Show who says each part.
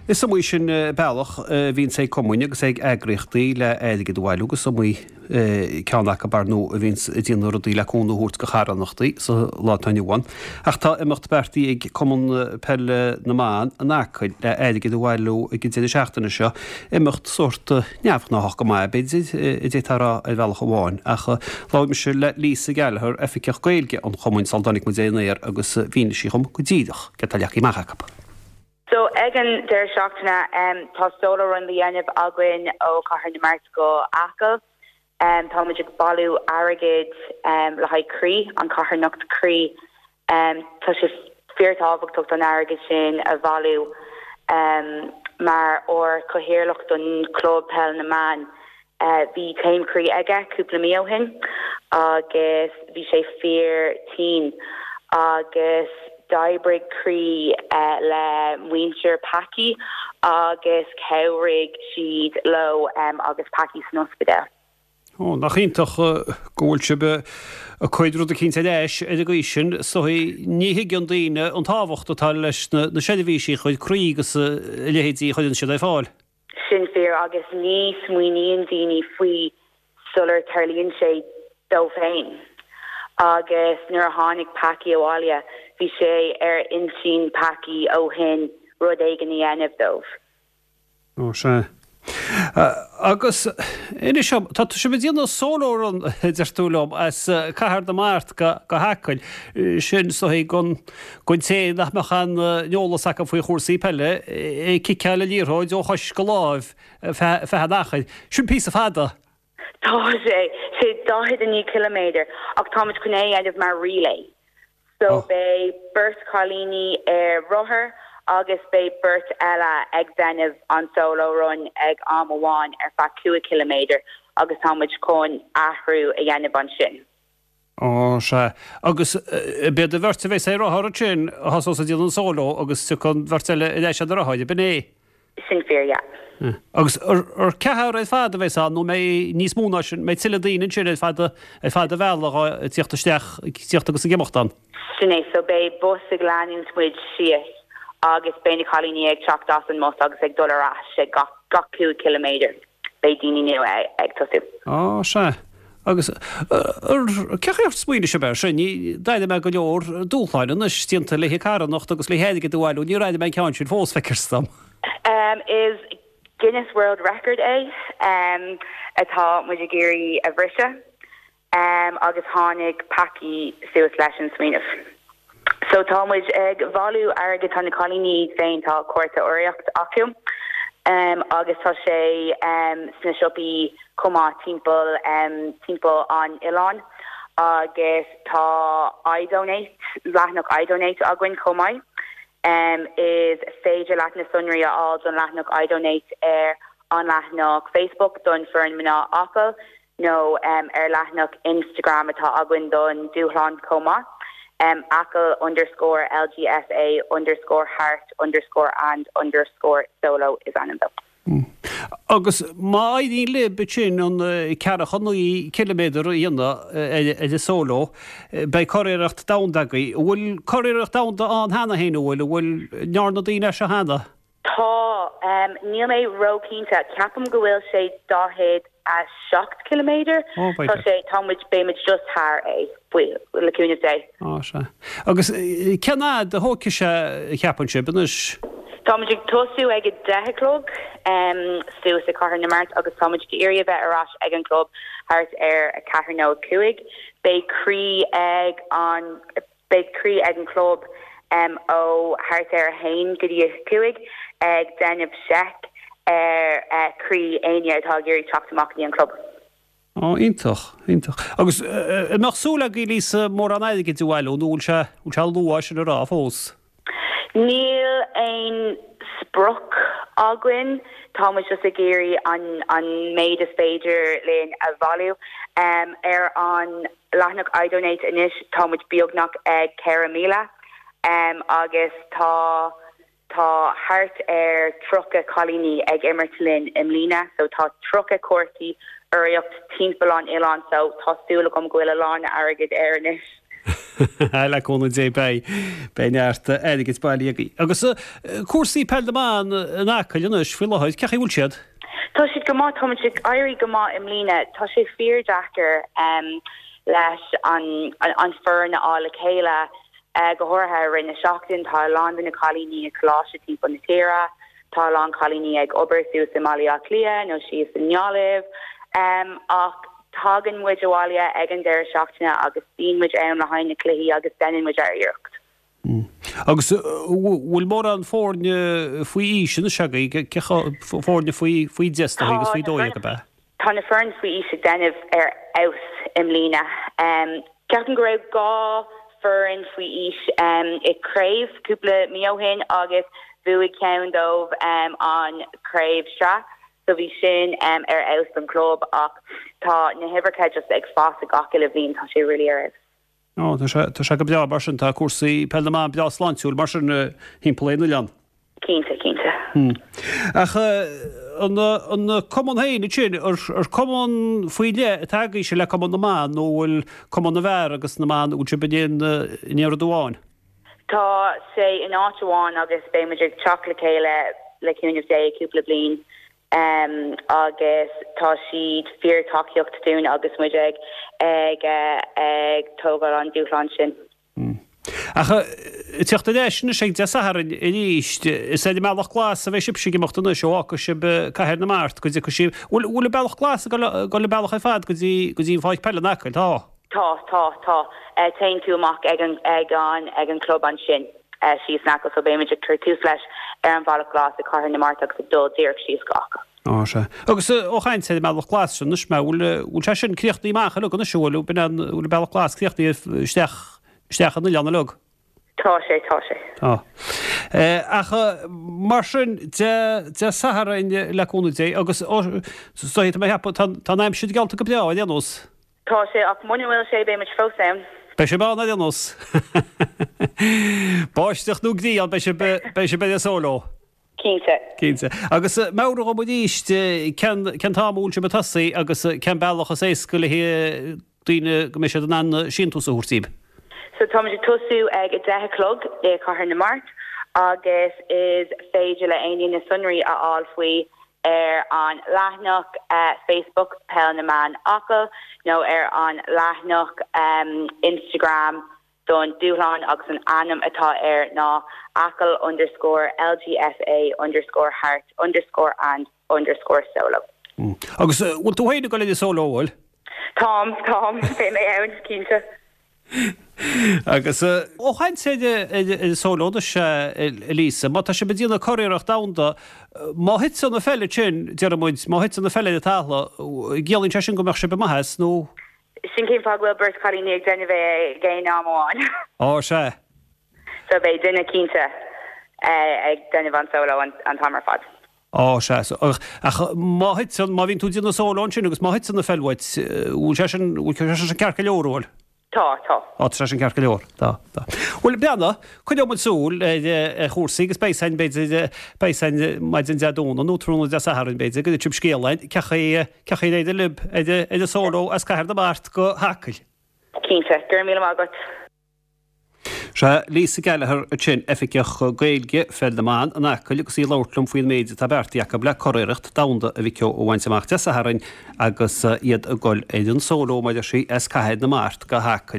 Speaker 1: Is iomaí sin bealach a bhíonns ag cumainn agus ag eagraíochtaí le airgead a bhailiú agus is iomaí ceann acu ar ndóigh a bhíonns ag déanamh rudaí le cúnamh a thabhairt do charthanachtaí sa lá atá inniu ann. Ach tá imeacht beartaithe ag Cumann Peile na mBan in Acaill le airgead a bhailiú ag an deireadh seachtaine seo, imeacht sórt neamhghnáthach go maith b'fhéidir, a d'fhéadfá a rá ar bhealach amháin. Ach labhair mise le Lisa Gallagher, Oifigeach Gaeilge an Chumainn, sula dtáinig muid ar an aer agus mhínigh sí dhom go díreach céard atá leagtha amach acu.
Speaker 2: So ag an deireadh seachtaine tá solo run le dhéanamh againn ó Chathair na Mart go Acaill. Táimid ag bailiú airgid le haghaidh Croí, an carthanacht Croí. Tá sé fíor tábhachtach don airgead sin a bhailiú mar ár chathaoirleach don chlub peil na mban Bhí taom croí aige cúpla mí ó shin agus bhí sé fíor tinn agus d'oibrigh Croí le muintir Packie agus chabhraigh siad leo agus Packie san ospidéal.
Speaker 1: Ó, nach iontach go bhfuil sibh ag cur rud eicínt ar ais ar an gcaoi sin. Is dóigh, ní thuigeann daoine an tábhacht atá leis na seirbhísí a chuir Croí agus a leithéidí a chuireann siad ar fáil.
Speaker 2: Sin fíor agus ní smaoiníonn daoine faoi sular tarlaíonn sé dóibh féin. Agus nuair a tháinig Packie abhaile, bhí sé ar intinn Packie ó shin rud éigin a dhéanamh dóibh.
Speaker 1: Ó sea. Agus inis dom, tá sibh ag déanamh solo run, a deir tú liom, as Cathair na Mart go hAcaill. Sin is dóigh don Don té nach mbeadh aon eolas acu faoi chúrsaí peile, ag ciceáil an liathróid ó chois go láimh feadh an achair. Sin píosa fada!
Speaker 2: Tá sé, sé 49 ciliméadar ach táimid chun é a dhéanamh mar relay. So beidh beirt chailíní ar rothar agus beidh beirt eile ag déanamh an solo run ag am amháin ar feadh 5 ciliméadar agus táimid chun athrú a dhéanamh ansin.
Speaker 1: Ó, sea. Agus b'iad an bheirt a bheas ar rothar ansin a thosós ag déanamh an solo agus tiocfaidh an bheirt eile ar ais ar na rothair, ab in é?
Speaker 2: Sin fíor, yeah.
Speaker 1: Agus ar ceathrar ar fad a bheas ann nó mbeidh níos mó ná sin, mbeidh tuilleadh daoine ansin ar fad ar fad an bhealaigh ag tíocht isteach, ag tíocht agus ag imeacht ann?
Speaker 2: Sin é, so beidh bus ag leanúint muid síos agus beidh na cailíní ag teacht as an mbus agus ag dul ar ais ag gach gach 5 ciliméadar. Beidh daoine nua ag tosú.
Speaker 1: Á, sea. Agus cén chaoi ar smaoinigh sibh air sin? D'airigh mé go leor dúshláin anois déanta le carthanacht agus le hairgead a bhailiú. Níor airigh mé an ceann sin fós, feictear dom.
Speaker 2: Is Guinness World Record é atá muid ag iarraidh a bhriseadh. agus tháinig Packie suas leis an smaoineamh. So tá muid ag bhailiú airgid, tá na cailíní iad féin, tá cárta urraíocht acu agus tá sé sna siopaí chomh maith timpeall timpeall an oileáin agus tá iDonate, leathanach iDonate againn chomh maith. Is féidir leat na sonraí a fháil don leathanach iDonate ar an leathanach Facebook don Foireann Mná Acaill. nó ar leathanach Instagram atá againn don dúshlán chomh maith, Acaill underscore LGFA underscore heart underscore and underscore solo is ainm dó.
Speaker 1: Agus má éiríonn libh ansin an 49 ciliméadar a dhéanamh ar an solo, beidh curiarracht domhanda agaibh. An bhfuil curiarracht domhanda ann cheana féin, an bhfuil? An bhfuil, an ndearna daoine é seo cheana?
Speaker 2: Tá. Níl mé ró-chinnte. Ceapaim go bhfuil sé 47 ciliméadar. Tá sé, tá muid, beidh muid just thar é, faoi, le cúnamh Dé.
Speaker 1: Á, sea. Agus cén fhad a thógfaidh sé, a cheapann sibh, anois?
Speaker 2: Tá muid ag tosú ag a 10 a chlog suas i Cathair na Mart agus tá muid ag iarraidh a bheith ar ais ag an gclub thart ar a ceathair nó a cúig. Beidh Croí ag an. Beidh Croí ag an chlub ó thart ar 1 go dtí 5 ag déanamh seic ar chroí éinne atá ag iarraidh teacht amach go dtí an club.
Speaker 1: Ó, iontach, iontach. Agus an mbeadh súil agaibh, Lisa, mórán airgid a bhailiú nó bhfuil sé, bhfuil sé luath sin a rá fós?
Speaker 2: Níl aon sprioc againn, tá muid just ag iarraidh an an méid is féidir linn a bhailiú. Ar an leathanach iDonate anois tá muid beagnach ag 4,000 agus tá tá thart ar 30 cailíní ag imirt linn i mbliana so tá 30 cártaí urraíocht timpeall an oileáin so tá súil agam go bhfuil a lán airgid air anois.
Speaker 1: Le cúnamh Dé beidh, beidh neart airgid bailithe agaibh. Agus cúrsaí peil na mban in Acaill anois faoi láthair, cén chaoi a bhfuil siad?
Speaker 2: Tá siad go maith, tá muid ag éirí go maith i mbliana. Tá sé fíor-deacair leis an foireann a fháil le chéile, go háirithe i rith na seachtaine. Tá a lán de na cailíní i coláiste timpeall na tíre, tá a lán cailíní ag obair suas i mBaile Átha Cliath nó síos i nGaillimh. Ach tagann muid abhaile ag an deireadh seachtaine agus bíonn muid ann le haghaidh na cluichí agus deineann muid ár iarracht.
Speaker 1: Agus bhfuil mórán foirne faoi aois anois agaibh, foirne faoi 10 is dóigh agus faoi 12 ab ea?
Speaker 2: Tá na foireann faoi aois ag déanamh ar fheabhas i mbliana. Ceapaim go raibh 2 foireann faoi aois i craobh cúpla mí ó shin agus bhuaigh ceann dóibh an craobh sraith so bhí sin ar fheabhas don club ach tá na huimhreacha just ag fás ag gach uile bhliain, tá sé really ar fheabhas.
Speaker 1: Ó, tá sé, tá sé go breá mar sin, tá cúrsaí peil na mban breá sláintiúil mar sin thimpeall ar an oileán.
Speaker 2: Cinnte, cinnte.
Speaker 1: Ach an, an cumann féin ansin, ar, ar cumann faoi leith atá agaibhse le cumann na mban nó bhfuil cumann na bhfear agus na mban, bhfuil sibh in aon, in aon rud amháin?
Speaker 2: Tá sé in áit amháin agus beidh muid ag teacht le chéile le cúnamh Dé cúpla bliain. agus tá siad fíor tacaíocht dúinn agus muid ag ag ag tógáil an dúshlán sin.
Speaker 1: Ach ag teacht ar ais anois ag Dé Sathairn arís, is ar an mBealach Glas a bheidh sibhse ag imeacht anois ó fhágfaidh sibh Cathair na Mart go dtiocfaidh sibh, bhfuil bhfuil an Bealach Glas ag dul an bealach ar fad go dtí go dtí an pháirc peile in Acaill? Tá.
Speaker 2: Tá, tá, tá. Téann tú amach ag an ag an ag an club ansin. síos in Acaill so beimid ag cur tús leis ar an Bhealach Glas i Cathair na Mart agus ag dul díreach síos go
Speaker 1: Acaill. Á, sea. Agus ó chaint ar an mBealach Glas sin anois, bhfuil, bhfuil sé sin críochnaithe amach uilig anois, an bhfuil, b'in an, bhfuil an Bealach Glas críochnaithe isteach, isteach an oileán uilig?
Speaker 2: Tá sé, tá sé.
Speaker 1: Tá. Ach mar sin, Dé, Dé Sathairn le cúnamh Dé agus, ó, tá mé ag ceapadh, tá, tá an aimsir geallta go breá ar aon nós.
Speaker 2: Tá sé, ach muna bhfuil sé, beidh muid fós ann.
Speaker 1: Beidh sibh ann ar aon nós. Báisteach nó grian, beidh sibh, beidh sibh ar an sóló.
Speaker 2: Cinnte.
Speaker 1: Cinnte. Agus meabhraigh dhom arís cén, cén t-am a bhfuil sibh ag tosaí agus cén bealach is éasca le daoine go mbeidh siad in ann síntiús a thabhairt daoibh.
Speaker 2: So táimid ag tosú ag 10 a chlog i Cathair na Mart agus is féidir le éinne na sonraí a fháil faoi ar an leathanach Facebook Peil na mBan Acaill nó ar an leathanach Instagram don dúshlán agus an ainm atá air ná Acaill underscore LGFA underscore heart underscore and underscore solo.
Speaker 1: Agus bhfuil tú féin ag dul ar an sóló, an bhfuil?
Speaker 2: Táim, táim, beidh mé ann, cinnte.
Speaker 1: Agus ó chaint ar an sóló anois, a Lisa, má tá sibh ag déanamh curiarracht domhanda, má thiteann an pheil ansin, déarfaidh muid, má thiteann an pheil ar an talamh, ciallaíonn sé sin go mbeadh sibh amuigh as, nó?
Speaker 2: Sin cén fáth go bhfuil beirt chailíní ag déanamh é ag aon am amháin.
Speaker 1: Á, sea.
Speaker 2: So beidh duine cinnte ag déanamh an sóló an t-am ar fad.
Speaker 1: Á, sea. Ach má thiteann, má bhíonn tú ag déanamh sóló ansin agus má thiteann an pheil uait, bhfuil sé sin, bhfuil sé sin ceart go leor, an bhfuil?
Speaker 2: Tá, tá.
Speaker 1: Á, tá sé sin ceart go leor. Tá, tá. Bhuel, breathnaigh, coinneoidh muid súil ar, ar chúrsaí agus beidh 'fhios a'inn, b'fhéidir, beidh 'fhios a'inn maidin Dé Domhnaigh nó tráthnóna Dé Sathairn, b'fhéidir, go dtitfidh scéal a'inn, cén chaoi, cén chaoi ar éirigh libh ar, ar an sóló as Cathair na Mart go hAcaill.
Speaker 2: Cinnte. Go raibh míle maith agat.
Speaker 1: Sea, Lisa Gallagher ansin, Oifigeach Gaeilge Pheil na mBan in Acaill agus í ag labhairt liom faoin méid atá beartaithe acu le curiarracht domhanda a mhic ó a bhaint amach Dé Sathairn agus iad ag dul ar an sóló, mar a deir sí, as Cathair na Mart go hAcaill.